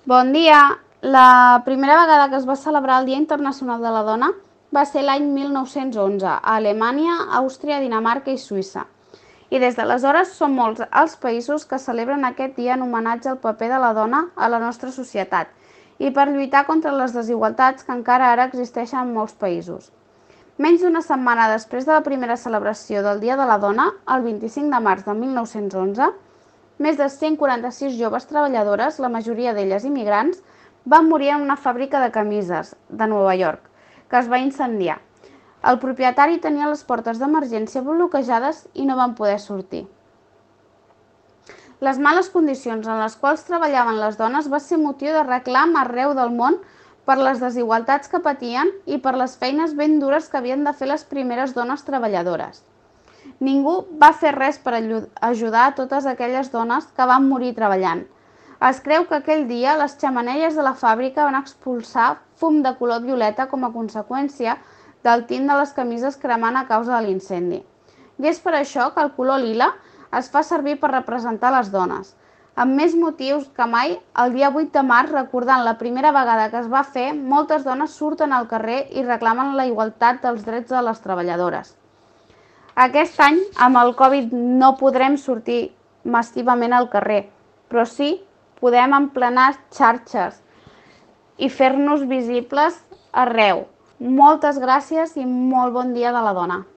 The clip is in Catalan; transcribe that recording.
Bon dia! La primera vegada que es va celebrar el Dia Internacional de la Dona va ser l'any 1911 a Alemanya, Àustria, Dinamarca i Suïssa. I des d'aleshores són molts els països que celebren aquest dia en homenatge al paper de la dona a la nostra societat i per lluitar contra les desigualtats que encara ara existeixen en molts països. Menys d'una setmana després de la primera celebració del Dia de la Dona, el 25 de març de 1911, més de 146 joves treballadores, la majoria d'elles immigrants, van morir en una fàbrica de camises de Nova York, que es va incendiar. El propietari tenia les portes d'emergència bloquejades i no van poder sortir. Les males condicions en les quals treballaven les dones va ser motiu de reclam arreu del món per les desigualtats que patien i per les feines ben dures que havien de fer les primeres dones treballadores. Ningú va fer res per ajudar a totes aquelles dones que van morir treballant. Es creu que aquell dia les xemeneies de la fàbrica van expulsar fum de color violeta com a conseqüència del tint de les camises cremant a causa de l'incendi. I és per això que el color lila es fa servir per representar les dones. Amb més motius que mai, el dia 8 de març, recordant la primera vegada que es va fer, moltes dones surten al carrer i reclamen la igualtat dels drets de les treballadores. Aquest any, amb el Covid, no podrem sortir massivament al carrer, però sí podem emplenar xarxes i fer-nos visibles arreu. Moltes gràcies i molt bon dia de la dona.